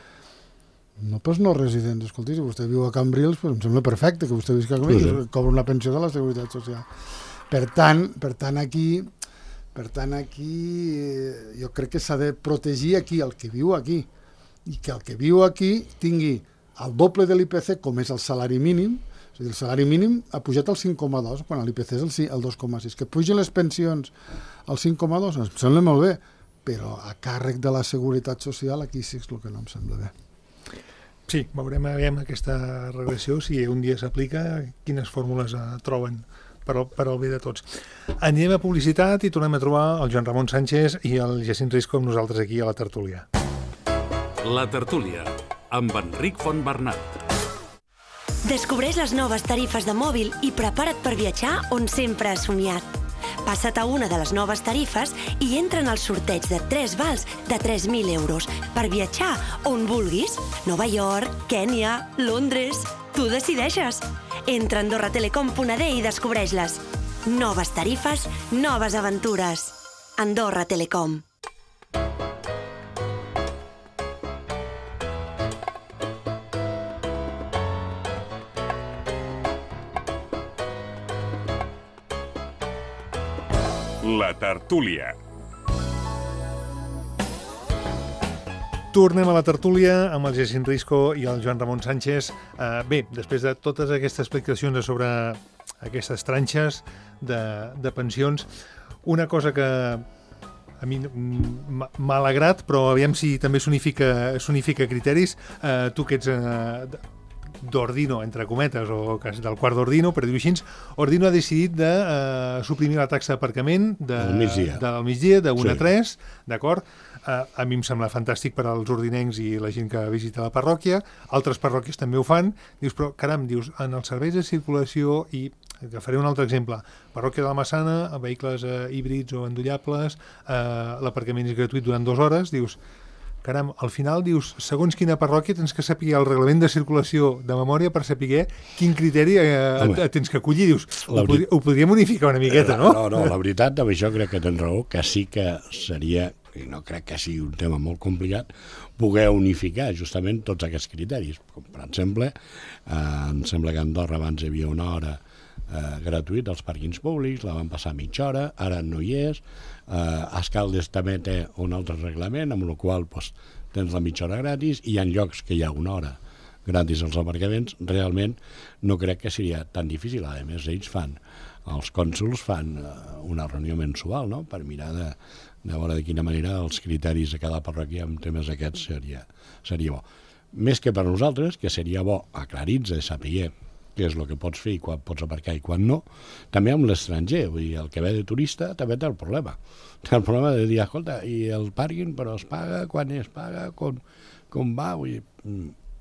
No pels no residents. Escolti, si vostè viu a Cambrils, doncs em sembla perfecte que vostè visqui a Cambrils i cobra una pensió de la Seguretat Social. Per tant, aquí jo crec que s'ha de protegir aquí el que viu aquí, i que el que viu aquí tingui el doble de l'IPC, com és el salari mínim. És a dir, el salari mínim ha pujat al 5,2, quan l'IPC és el 2,6. Que pugin les pensions al 5,2, em sembla molt bé, però a càrrec de la Seguretat Social aquí sí és el que no em sembla bé. Sí, veurem aquesta regressió, si un dia s'aplica, quines fórmules troben per al bé de tots. Anem a publicitat i tornem a trobar el Joan Ramon Sánchez i el Jacint Risco amb nosaltres aquí a la tertúlia. La tertúlia, amb Enric Fontbernat. Descobreix les noves tarifes de mòbil i prepara't per viatjar on sempre has somiat. Passa't a una de les noves tarifes i entra en el sorteig de 3 vals de 3.000 euros per viatjar on vulguis. Nova York, Kènia, Londres... Tu decideixes. Entra a AndorraTelecom.d i descobreix-les. Noves tarifes, noves aventures. Andorra Telecom. La tertúlia. Tornem a la tertúlia amb el Jacint Risco i el Joan Ramon Sánchez. Bé, després de totes aquestes explicacions sobre aquestes tranxes de pensions, una cosa que a mi m'ha alegrat, però aviam si també s'unifica criteris. Tu que ets d'Ordino, entre cometes, o del quart d'Ordino, per dir-ho així, Ordino ha decidit de suprimir la taxa d'aparcament del migdia, de 1 a 3, d'acord? A mi em sembla fantàstic per als ordinencs i la gent que visita la parròquia. Altres parròquies també ho fan. Dius, però caram, en els serveis de circulació, i agafaré un altre exemple, parròquia de la Massana, vehicles híbrids o endollables, l'aparcament és gratuït durant 2 hores, dius, caram, al final dius, segons quina parròquia tens que saber el reglament de circulació de memòria per saber quin criteri tens que acollir. Dius, ho podríem unificar una miqueta, no? No, la veritat, amb això crec que tens raó, que sí que seria, i no crec que sigui un tema molt complicat, poder unificar justament tots aquests criteris. Com, per exemple, em sembla que a Andorra abans hi havia una hora gratuït als pàrquings públics, la van passar a mitja hora, ara no hi és. Escaldes també té un altre reglament, amb el qual tens la mitja hora gratis, i hi ha llocs que hi ha una hora gratis als aparcaments. Realment no crec que seria tan difícil. A més, els cònsols fan una reunió mensual, no?, per mirar de veure de quina manera els criteris de cada parròquia en temes aquests seria bo. Més que per nosaltres, que seria bo aclarir-se, saber què és el que pots fer i quan pots aparcar i quan no, també amb l'estranger. Vull dir, el que ve de turista també té el problema. Té el problema de dir, escolta, i el pàrquing però es paga, quan es paga, com va? Vull dir,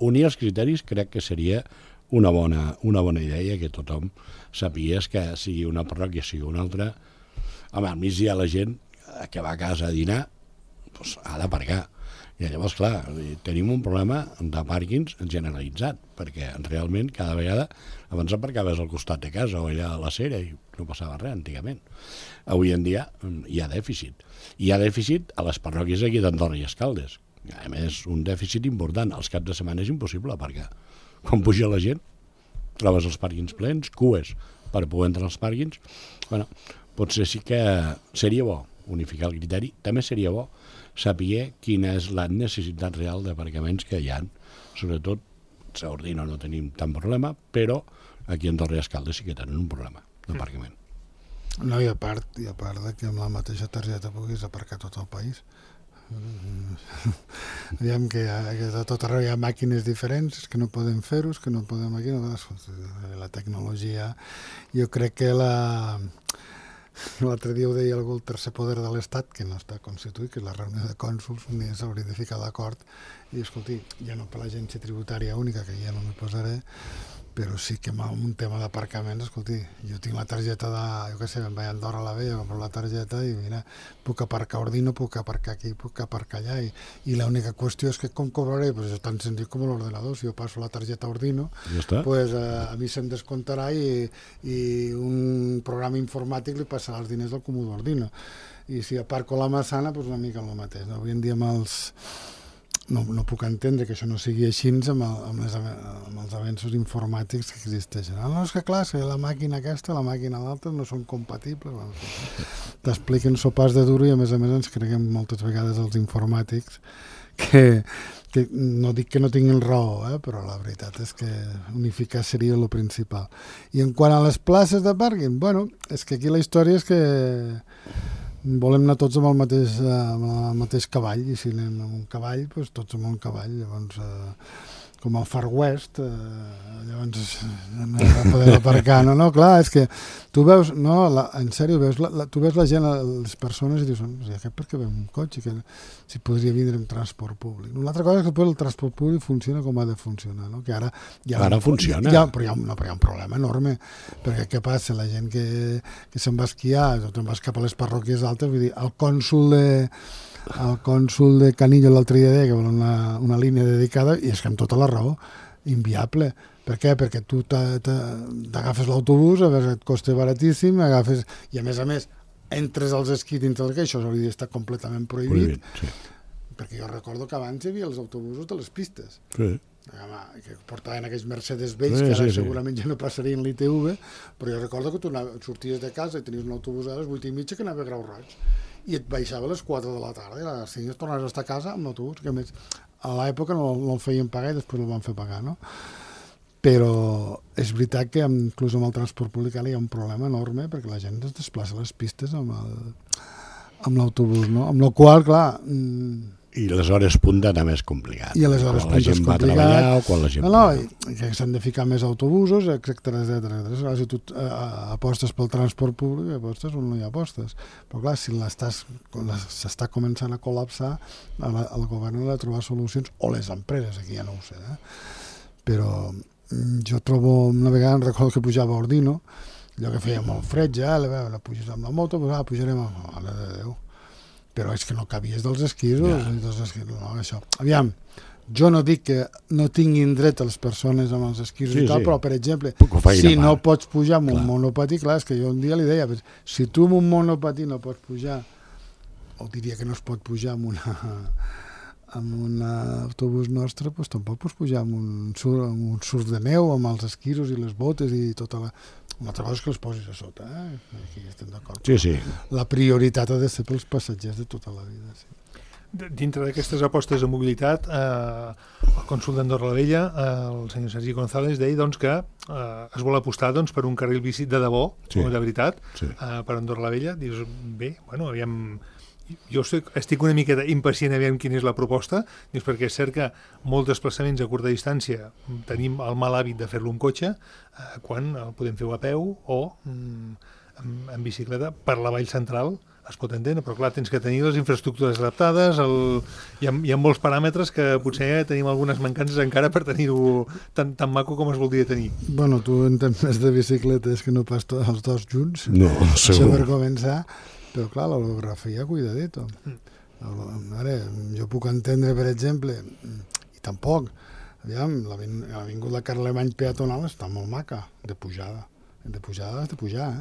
unir els criteris crec que seria una bona idea, que tothom sàpigués que sigui una parròquia, sigui una altra. Home, al migdia la gent que va a casa a dinar ha d'aparcar. I llavors, clar, tenim un problema de pàrquings generalitzat, perquè realment cada vegada abans aparcaves al costat de casa o allà a la Cera i no passava res antigament. Avui en dia hi ha dèficit. Hi ha dèficit a les parròquies aquí d'Andorra i Escaldes. A més, un dèficit important. Els caps de setmana és impossible aparcar. Quan puja la gent, trobes els pàrquings plens, cues per poder entrar als pàrquings. Bueno, potser sí que seria bo unificar el criteri. També seria bo saber quina és la necessitat real d'aparcaments que hi ha. Sobretot, a Ordino no tenim tant problema, però aquí a Andorra i Escaldes sí que tenen un problema d'aparcament. No, i a part de que amb la mateixa targeta puguis aparcar tot el país. Diguem que a tot arreu hi ha màquines diferents, que no podem fer-ho, que no podem aquí, la tecnologia. Jo crec que l'altre dia ho deia algú, el tercer poder de l'Estat, que no està constituït, que és la reunió de cònsols, un dia s'hauria de ficar d'acord i dir, escolti, ja no per l'agència tributària única, que ja no m'hi posaré, però sí que amb un tema d'aparcaments, escolti, jo tinc la targeta jo què sé, em vaig a Andorra a la Vella, compro la targeta i mira, puc aparcar a Ordino, puc aparcar aquí, puc aparcar allà, i l'única qüestió és que com cobraré, pues és tan senzill com l'ordenador. Si jo passo la targeta a Ordino, pues a mi se'm descomptarà i un programa informàtic li passarà els diners al comú d'Ordino. I si aparco a la Massana, pues una mica el mateix. Avui en dia no puc entendre que això no sigui així amb els avenços informàtics que existeixen. No, és que clar, si la màquina aquesta, la màquina l'altra no són compatibles. T'expliquen sopars de duro i a més ens creguem moltes vegades els informàtics que no dic que no tinguin raó, però la veritat és que unificar seria el principal. I en quant a les places de pàrquing, bueno, és que aquí la història és que volem anar tots amb el mateix cavall, i si anem amb un cavall, doncs tots amb un cavall. Llavors, com al Far West, llavors no podem aparcar. No, clar, és que tu veus, no, en sèrio, tu veus la gent, les persones, i dius, aquest per què ve un cotxe, que si podria vindre amb transport públic. Una altra cosa és que el transport públic funciona com ha de funcionar, no? Que ara funciona. Però hi ha un problema enorme, perquè què passa? La gent que se'n va esquiar, o te'n vas cap a les parròquies altes, vull dir, el cònsol de Canillo l'altre dia deia que vol una línia dedicada, i és que amb tota la raó, inviable. Per què? Perquè tu t'agafes l'autobús, a veure, et costa baratíssim, i a més, entres als esquís dintre del que això hauria d'estar completament prohibit. Sí. Perquè jo recordo que abans hi havia els autobusos de les pistes. Sí. Que portaven aquells Mercedes vells, que ara segurament ja no passarien l'ITV, però jo recordo que tu sorties de casa i tenies un autobús a les 8:30 que anava a Grau Roig, i et baixava a les 4 de la tarda, i a les 5 tornaves a estar a casa amb l'autobús, que a més a l'època no el feien pagar i després el van fer pagar, no? Però és veritat que inclús amb el transport públic hi ha un problema enorme, perquè la gent es desplaça a les pistes amb l'autobús, no? Amb la qual, clar... I les hores punta també és complicat. I a les hores punta és complicat. Quan la gent va a treballar o quan la gent... No, que s'han de ficar més autobusos, etcètera. Si tu apostes pel transport públic, apostes on no hi apostes. Però clar, si s'està començant a col·lapsar, el govern ha de trobar solucions, o les empreses, aquí ja no ho sé, però jo trobo, una vegada em recordo que pujava a Ordino, allò que feia molt fred ja, puges amb la moto, pujarem a la de Déu. però és que no cabies dels esquís, no, això. Aviam, jo no dic que no tinguin dret les persones amb els esquís i tal, però, per exemple, si no pots pujar amb un monopatí, clar, és que jo un dia li deia, si tu amb un monopatí no pots pujar, o diria que no es pot pujar amb un autobús nostre, doncs tampoc pots pujar amb un surf de neu, amb els esquiros i les botes i tota la... Una altra cosa és que els posis a sota, aquí estem d'acord. Sí. La prioritat ha de ser pels passatgers de tota la vida, sí. Dintre d'aquestes apostes de mobilitat, el cònsol d'Andorra la Vella, el senyor Sergi González, deia doncs, que es vol apostar doncs, per un carril bici de debò, de veritat, per Andorra la Vella. Dius, bé, bueno, aviam... Jo estic una miqueta impacient a veure quina és la proposta, perquè és cert que molts desplaçaments a curta distància tenim el mal hàbit de fer-lo en cotxe, quan el podem fer a peu o en bicicleta per la vall central. Es pot entendre, però clar, tens que tenir les infraestructures adaptades, hi ha molts paràmetres que potser tenim algunes mancances encara per tenir-ho tan maco com es voldria tenir. Bueno, tu entens més de bicicletes que no pas els dos junts. No, segur. Això per començar, però clar, l'orografia, cuidadito. Ara, jo puc entendre, per exemple, i tampoc, aviam, l'avinguda Carlemany peatonal està molt maca, de pujada. De pujada has de pujar,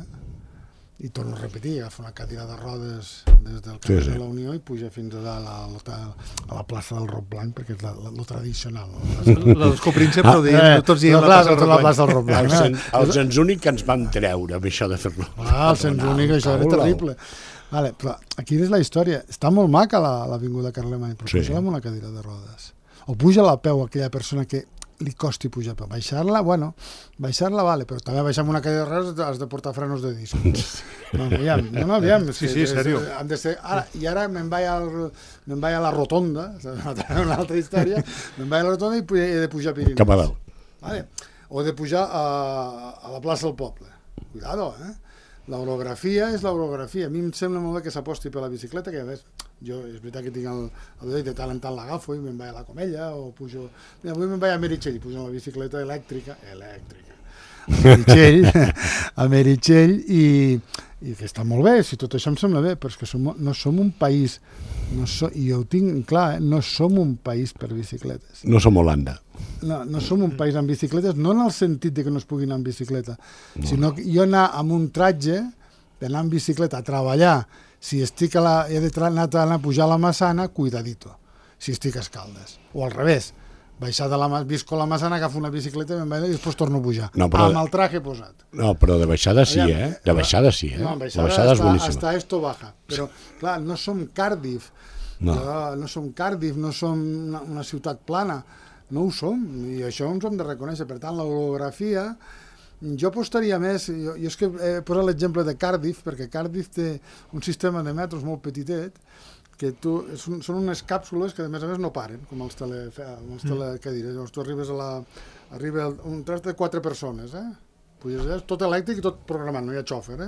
I torno a repetir, agafa una cadira de rodes des del carrer de la Unió i puja fins a dalt a la plaça del Roc Blanc, perquè és lo tradicional. La dels Copríncep, però tots dient la plaça del Roc Blanc. El cens únic que ens van treure amb això de fer-lo. El cens únic, això era terrible. Vale, però aquí és la història. Està molt maca l'avinguda Carlemany, però puja-la amb una cadira de rodes. O puja-la a peu aquella persona que li costi pujar a peu. Baixar-la, vale, però també baixar amb una cadira de rodes has de portar frenos de disc. Aviam. Sí, sèrio. I ara me'n vaig a la rotonda, una altra història, me'n vaig a la rotonda i he de pujar a Pirineus. Cap a dalt. Vale. O he de pujar a la plaça del poble. Cuidado, L'orografia és l'orografia. A mi em sembla molt bé que s'aposti per la bicicleta, que a més, jo és veritat que tinc el dedo de tant en tant l'agafo i me'n vaig a la Comella o pujo... Mira, avui me'n vaig a Meritxell i pujo amb la bicicleta elèctrica. A Meritxell i que està molt bé, si tot això em sembla bé, però és que no som un país, i jo ho tinc clar, no som un país per bicicletes. No som Holanda. No som un país amb bicicletes, no en el sentit de que no es pugui anar amb bicicleta, sinó que jo anar amb un tratge, d'anar amb bicicleta a treballar, si estic he d'anar a pujar a la Massana, cuidadito, si estic a Escaldes. O al revés, baixar visco a la Massana, agafo una bicicleta i després torno a pujar, amb el traje posat. No, però de baixada sí, De baixada sí, No, baixada és boníssima. Hasta esto baja. Però, clar, no som Cardiff, no som una ciutat plana, no ho som, i això ens ho hem de reconèixer. Per tant, l'orografia, jo apostaria més, jo és que he posat l'exemple de Cardiff, perquè Cardiff té un sistema de metros molt petitet, que són unes càpsules que a més no paren, com els telecadires. Llavors tu arriba un tras de 4 persones, puges allà, tot elèctric i tot programat, no hi ha xòfer,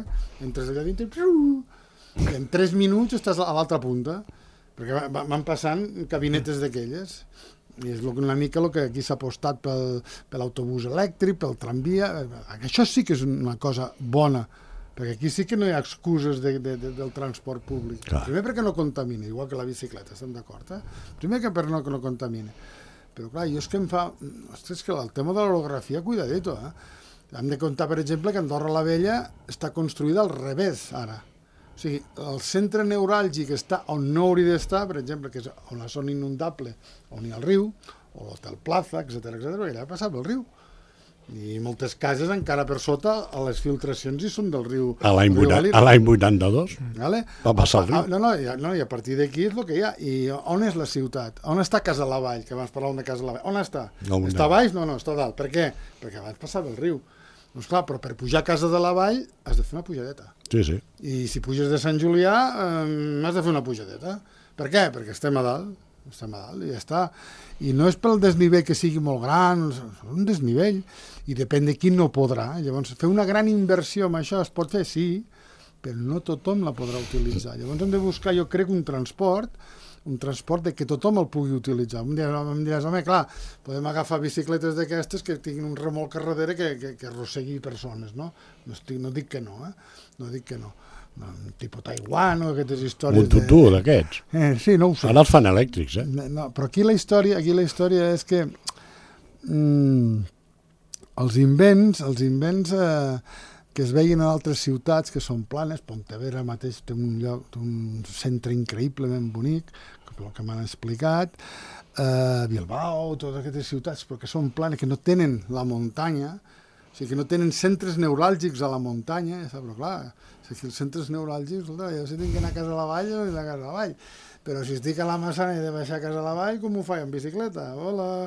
entres allà dintre i en 3 minuts estàs a l'altra punta, perquè van passant cabinetes d'aquelles. I és una mica el que aquí s'ha apostat per l'autobús elèctric, pel tramvia. Això sí que és una cosa bona, perquè aquí sí que no hi ha excuses del transport públic. Clar. Primer perquè no contamina, igual que la bicicleta, estem d'acord? Primer que per no contamina. Però clar, jo és que em fa... Ostres, que el tema de l'orografia, cuidadito, Hem de comptar, per exemple, que Andorra la Vella està construïda al revés, ara. O sigui, el centre neuràlgic està on no hauria d'estar, per exemple, que és on la zona inundable, on hi ha el riu, o l'Hotel Plaza, etc, perquè allà passava el riu. I moltes cases encara per sota les filtracions hi són del riu. A l'any 82 va passar el riu. No, i a partir d'aquí és el que hi ha. I on és la ciutat? On està Casa la Vall? Que abans parlàvem de Casa la Vall. On està? Està a baix? No, està a dalt. Per què? Perquè abans passava el riu. Doncs clar, però per pujar a Casa de la Vall has de fer una pujadeta. Sí. I si puges de Sant Julià has de fer una pujadeta. Per què? Perquè estem a dalt i ja està. I no és pel desnivell que sigui molt gran, és un desnivell, i depèn de qui no podrà. Llavors, fer una gran inversió amb això es pot fer, sí, però no tothom la podrà utilitzar. Llavors hem de buscar, jo crec, un transport de que tothom el pugui utilitzar. Em diràs, home, clar, podem agafar bicicletes d'aquestes que tinguin un remolc a darrere que arrossegui persones, no? No dic que no, No dic que no. tipus Taiwan o aquestes històries... Un tutú d'aquests. Sí, no ho sé. Ara els fan elèctrics, No, però aquí la història és que els invents que es veien en altres ciutats que són planes, Pontevedra mateix té un centre increïblement bonic, pel que m'han explicat, Bilbao, totes aquestes ciutats, però que són planes, que no tenen la muntanya, o sigui, que no tenen centres neuràlgics a la muntanya, però clar, si els centres neuràlgics, jo si tinc que anar a casa a la vall, jo he d'anar a casa a la vall, però si estic a la Massana i he de baixar a casa a la vall, com ho faig en bicicleta? Hola!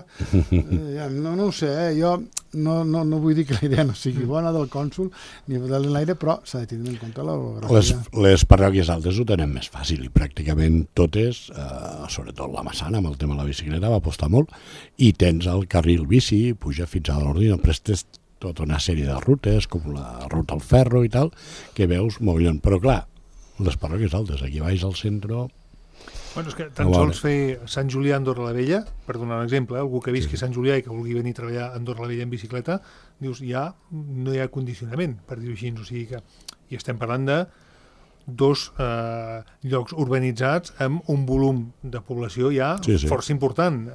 No ho sé, jo no vull dir que la idea no sigui bona del cònsol ni de l'aire, però s'ha de tenir en compte l'orografia. Les parròquies altes ho tenen més fàcil i pràcticament totes, sobretot la Massana, amb el tema de la bicicleta, va apostar molt, i tens el carril bici, puja fins a l'Ordino, prestes tota una sèrie de rutes, com la ruta al ferro i tal, que veus mogollon. Però clar, les parròquies altes, aquí baix al centre... Bueno, és que tan sols fer Sant Julià a Andorra la Vella, per donar un exemple, algú que visqui a Sant Julià i que vulgui venir a treballar a Andorra la Vella en bicicleta, dius, no hi ha condicionament, per dir-ho així, o sigui que... I estem parlant de dos llocs urbanitzats amb un volum de població ja força important,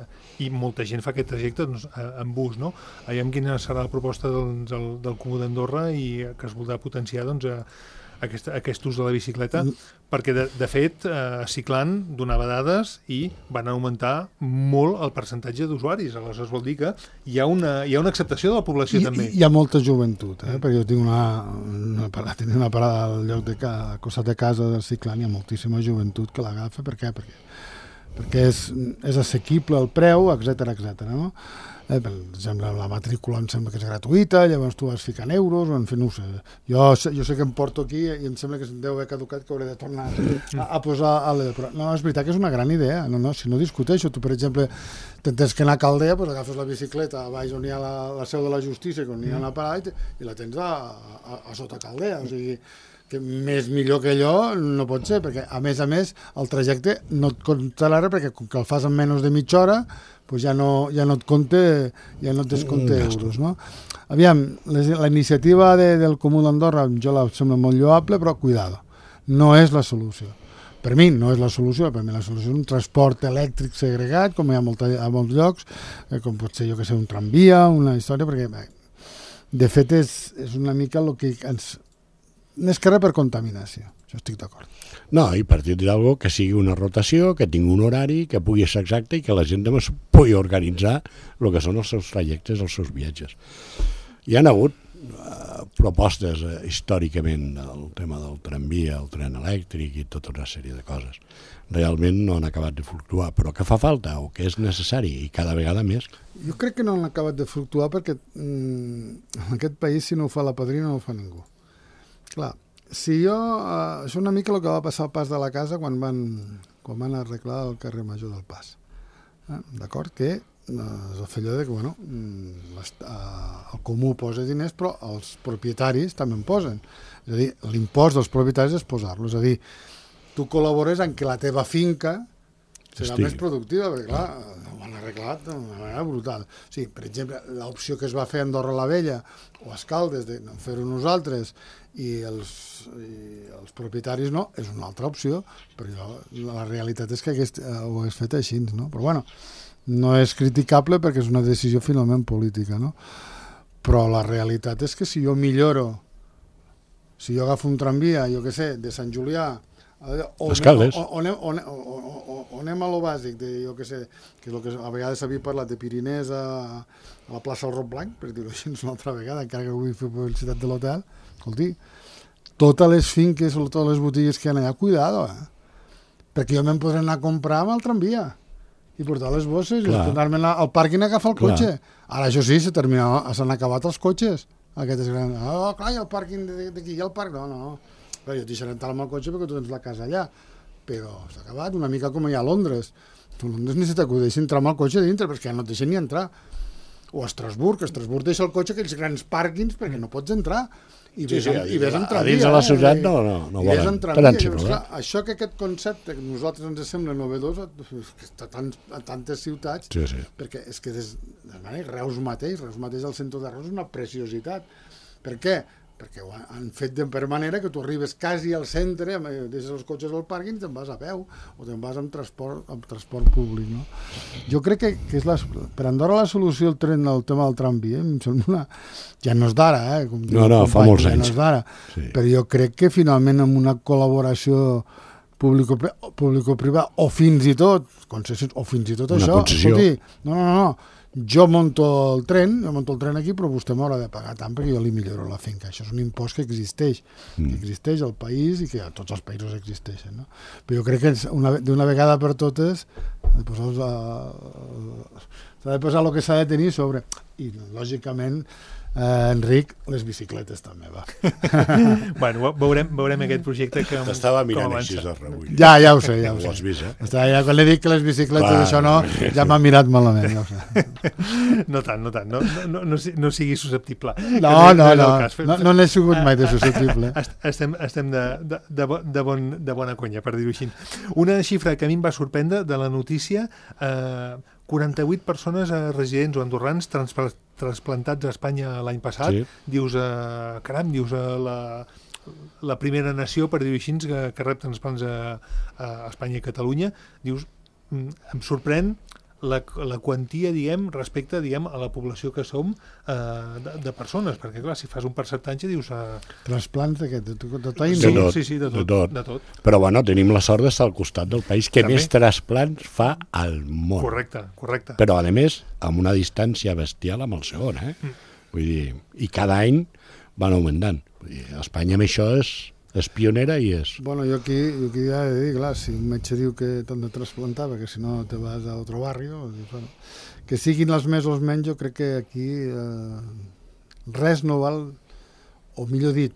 i molta gent fa aquest trajecte en bus, no? Aviam quina serà la proposta del Comú d'Andorra i que es voldrà potenciar aquest ús de la bicicleta, perquè de fet Ciclan donava dades i van augmentar molt el percentatge d'usuaris. Aleshores vol dir que hi ha una acceptació de la població també. Hi ha molta joventut, perquè jo tinc una parada al lloc al costat de casa del Ciclan, hi ha moltíssima joventut que l'agafa. Per què? Perquè és assequible el preu, etcètera, no? Per exemple, la matrícula em sembla que és gratuïta, llavors tu vas ficant euros, en fi, no ho sé. Jo sé que em porto aquí i em sembla que deu haver caducat, que hauré de tornar a posar però no, és veritat que és una gran idea, si no discuteixo. Tu, per exemple, tens que anar a Caldea, doncs agafes la bicicleta a baix on hi ha la seu de la justícia, on hi ha una parada, i la tens a sota Caldea, o sigui que més millor que allò no pot ser, perquè a més el trajecte no et compta l'ara, perquè com que el fas en menys de mitja hora, doncs ja no et compte euros, no? Aviam, la iniciativa del Comú d'Andorra jo la sembla molt lloable, però cuidado, no és la solució. Per mi no és la solució, per mi la solució és un transport elèctric segregat, com hi ha a molts llocs, com pot ser, un tramvia, una història, perquè de fet és una mica el que ens... Més que res per contaminació, jo estic d'acord. No, i partir d'algo que sigui una rotació, que tingui un horari, que pugui ser exacte i que la gent també pugui organitzar el que són els seus trajectes, els seus viatges. Hi ha hagut propostes històricament del tema del tramvia, el tren elèctric i tota una sèrie de coses. Realment no han acabat de fluctuar, però que fa falta o que és necessari i cada vegada més. Jo crec que no han acabat de fluctuar perquè en aquest país si no ho fa la padrina no ho fa ningú. Clar, si això és una mica el que va passar al Pas de la Casa quan van arreglar el carrer Major del Pas. D'acord? Que es va fer allò de que, el comú posa diners, però els propietaris també en posen. És a dir, l'impost dels propietaris és posar-lo. És a dir, tu col·labores en que la teva finca serà més productiva, perquè clar, ho han arreglat d'una manera brutal. O sigui, per exemple, l'opció que es va fer a Andorra la Vella o a Escaldes de fer-ho nosaltres i els propietaris no, és una altra opció, però la realitat és que ho hagués fet així, no? Però bueno, no és criticable perquè és una decisió finalment política, no? Però la realitat és que si jo milloro, si jo agafo un tramvia, jo què sé, de Sant Julià o anem a lo bàsic de, jo què sé, que és el que a vegades s'havia parlat de Pirinès a la plaça del Roc Blanc, per dir-ho així una altra vegada, encara que vull fer publicitat de l'hotel, escolti, totes les finques o totes les botigues que hi ha allà, cuidado, perquè jo me'n podré anar a comprar amb el tramvia i portar les bosses i anar-me al pàrquing a agafar el cotxe. Ara, això sí, s'han acabat els cotxes. Aquestes grans... clar, hi ha el pàrquing d'aquí, hi ha el parc... No. Però jo et deixaré entrar amb el cotxe perquè tu tens la casa allà. Però s'ha acabat una mica com hi ha a Londres. A Londres ni se t'acudeix entrar amb el cotxe dintre perquè no et deixen ni entrar. O a Estrasburg deixa el cotxe aquells grans pàrquings perquè no pots entrar. I ves en tramvia. A dins de la ciutat no volen. Això que aquest concepte que a nosaltres ens sembla novedós està a tantes ciutats, perquè és que Reus mateix al centre de Reus és una preciositat. Per què? perquè ho han fet per manera que tu arribes quasi al centre, deixes els cotxes al pàrquing i te'n vas a peu, o te'n vas amb transport públic, no? Jo crec que és per Andorra la solució el tren del tema del tramvia, em sembla ja no és d'ara, No, fa molts anys. No és d'ara, però jo crec que finalment amb una col·laboració público-privada, o fins i tot concessions, o fins i tot una això, concessió. escolti, no, jo monto el tren aquí, però vostè m'haurà de pagar tant perquè jo li milloro la finca. Això és un impost que existeix al país i que a tots els països existeixen, no? Però jo crec que d'una vegada per totes s'ha de posar el que s'ha de tenir sobre. I, lògicament, Enric, les bicicletes també, va. Bueno, veurem aquest projecte que T'estava mirant així de rebull. Ja ho sé. Ho has vist, eh? Ja, quan li dic que les bicicletes això no, ja m'ha mirat malament, ja ho sé. No tant, no sigui susceptible. No n'he sigut mai de susceptible. Estem de bona conya, per dir-ho així. Una xifra que a mi em va sorprendre de la notícia, 48 persones residents o andorrans trasplantats a Espanya l'any passat. Sí. Dius, caram, la primera nació, per dir-ho així, que rep transplants a Espanya i Catalunya. Dius, em sorprèn la quantia, respecte, a la població que som de persones, perquè clar, si fas un percentatge dius... Transplants de què? De tot? Sí, de tot. Però bueno, tenim la sort d'estar al costat del país que més transplants fa al món. Correcte. Però a més, amb una distància bestial amb el segon, Vull dir, i cada any van augmentant. Vull dir, Espanya amb això és pionera i és... Bueno, jo aquí ja he de dir, clar, si un metge diu que t'han de trasplantar perquè si no te vas a otro barrio, bueno, que siguin els més o els menys, jo crec que aquí res no val, o millor dit,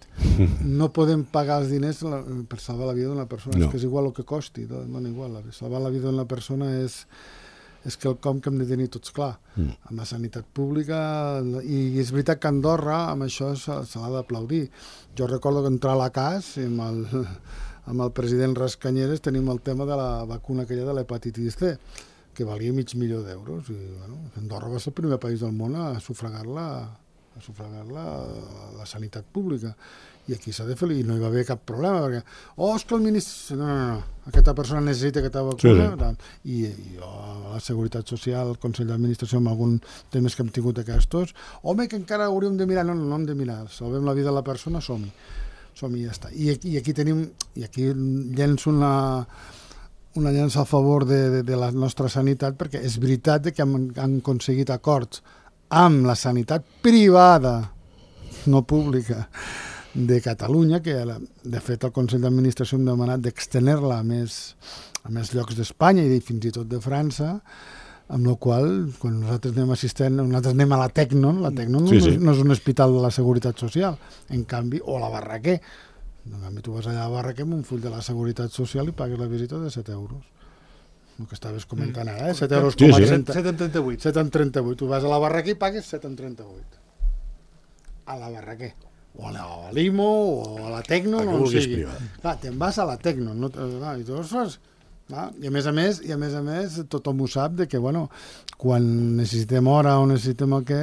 no podem pagar els diners per salvar la vida d'una persona, és que és igual el que costi, no igual, salvar la vida d'una persona és quelcom que hem de tenir tots clar, amb la sanitat pública, i és veritat que Andorra amb això se l'ha d'aplaudir. Jo recordo que entrar a la CAS i amb el president Rascanyeres tenim el tema de la vacuna aquella de l'hepatitis C, que valia $500.000, i Andorra va ser el primer país del món a sufragar-la la sanitat pública. I aquí s'ha de fer, i no hi va haver cap problema, perquè, és que el ministre... No, aquesta persona necessita aquesta vacuna, i jo, a la Seguretat Social, el Consell d'Administració, amb alguns temes que hem tingut aquests, home, que encara hauríem de mirar, no hem de mirar, salvem la vida de la persona, som-hi i ja està. I aquí llenço una llença a favor de la nostra sanitat, perquè és veritat que han aconseguit acords amb la sanitat privada, no pública, de Catalunya, que de fet el Consell d'Administració hem demanat d'extener-la a més llocs d'Espanya i fins i tot de França, amb la qual quan nosaltres anem a la Tecnon, no és un hospital de la Seguretat Social, en canvi, o a la Barraquer. En canvi, tu vas allà a la Barraquer amb un full de la Seguretat Social i pagues la visita de 7 euros. El que estaves comentant ara, 7 euros com a 7,38. 7,38. Tu vas a la Barraquer i pagues 7,38. A la Barraquer. O a la Limo, o a la Tecno, no ho sigui. Clar, te'n vas a la Tecno, i tu fas... I a més a més, tothom ho sap, que quan necessitem hora o necessitem el què,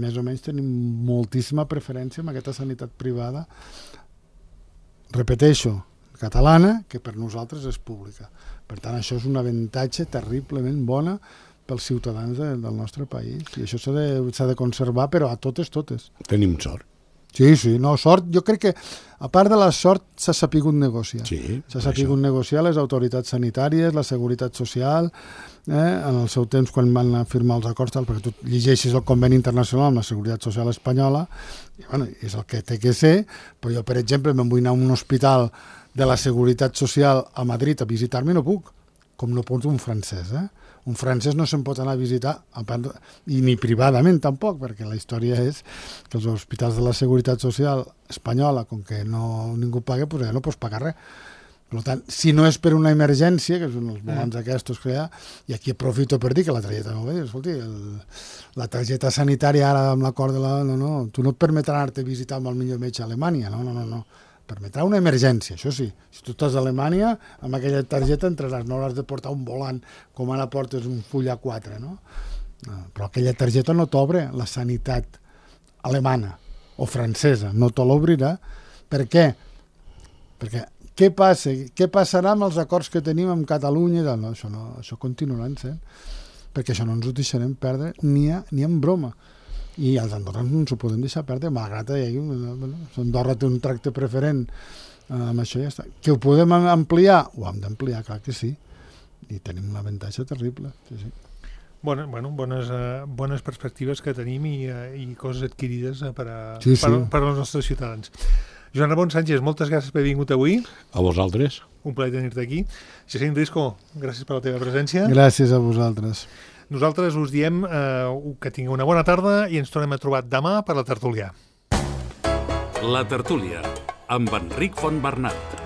més o menys tenim moltíssima preferència amb aquesta sanitat privada, repeteixo, catalana, que per nosaltres és pública. Per tant, això és un avantatge terriblement bona pels ciutadans del nostre país, i això s'ha de conservar, però a totes. Tenim sort. Sí, sort, jo crec que a part de la sort s'ha sapigut negociar. S'ha sapigut negociar les autoritats sanitàries, la Seguretat Social, en el seu temps quan van firmar els acords, perquè tu llegeixes el conveni internacional amb la Seguretat Social espanyola, i és el que té que ser, però jo, per exemple, me'n vull anar a un hospital de la Seguretat Social a Madrid a visitar-me, no puc, com no pot un francès, Un francès no se'n pot anar a visitar, i ni privadament tampoc, perquè la història és que els hospitals de la Seguretat Social espanyola, com que ningú paga, doncs ja no pots pagar res. Per tant, si no és per una emergència, que són els volants aquests que hi ha, i aquí aprofito per dir que la targeta no va dir, escolti, la targeta sanitària ara amb l'acord de la... No, tu no et permetrà anar-te a visitar amb el millor metge a Alemanya, no. Permetrà una emergència, això sí. Si tu estàs a Alemanya, amb aquella targeta entraràs, no has de portar un volant com ara portes un full A4, no? Però aquella targeta no t'obre la sanitat alemana, o francesa, no te l'obrirà. Per què? Perquè què passa? Què passarà amb els acords que tenim amb Catalunya? No, això continuaran sent, perquè això no ens ho deixarem perdre ni en broma. I els andorrans no ens ho podem deixar perdre, malgrat que Andorra té un tracte preferent amb això, ja està. Que ho podem ampliar? Ho hem d'ampliar, clar que sí. I tenim un avantatge terrible. Sí. Bones perspectives que tenim i coses adquirides per als nostres ciutadans. Joan Ramon Sánchez, moltes gràcies per haver vingut avui. A vosaltres. Un plaer tenir-te aquí. Jacint Risco, gràcies per la teva presència. Gràcies a vosaltres. Nosaltres us diem que tingueu una bona tarda i ens tornem a trobar demà per la tertúlia. La tertúlia, amb Enric Fontbernat.